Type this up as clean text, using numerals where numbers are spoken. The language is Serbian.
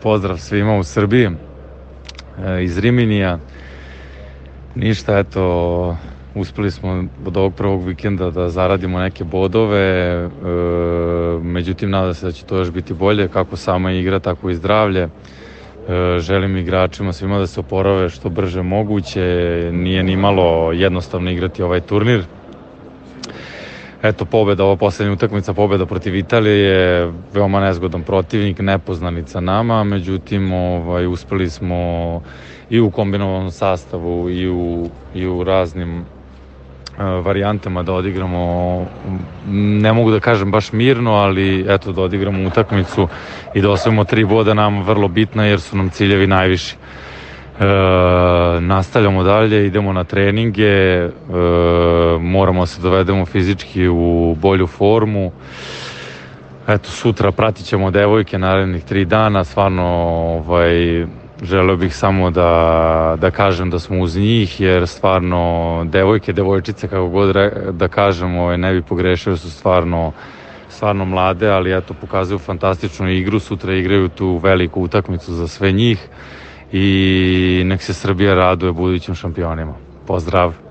pozdrav svima u Srbiji, iz Riminija. Ništa, eto, uspeli smo od ovog prvog vikenda da zaradimo neke bodove, međutim nadam se da će to još biti bolje, kako sama igra, tako i zdravlje. Želim igračima svima da se oporave što brže moguće, nije ni malo jednostavno igrati ovaj turnir. Eto, pobeda, ova poslednja utakmica, pobeda protiv Italije je veoma nezgodan protivnik, nepoznanica nama, međutim uspeli smo i u kombinovanom sastavu i u raznim varijantama da odigramo, ne mogu da kažem baš mirno, ali eto da odigramo utakmicu i da osvojimo 3 boda, nam vrlo bitna jer su nam ciljevi najviši. Nastavljamo dalje, idemo na treninge, moramo se dovedemo fizički u bolju formu. Eto, sutra pratit ćemo devojke narednih 3 dana, stvarno želeo bih samo da kažem da smo uz njih, jer stvarno devojke, devojčice, kako god da kažemo, ne bi pogrešio, su stvarno mlade, ali eto, pokazuju fantastičnu igru, sutra igraju tu veliku utakmicu za sve njih i nek se Srbija raduje budućim šampionima. Pozdrav!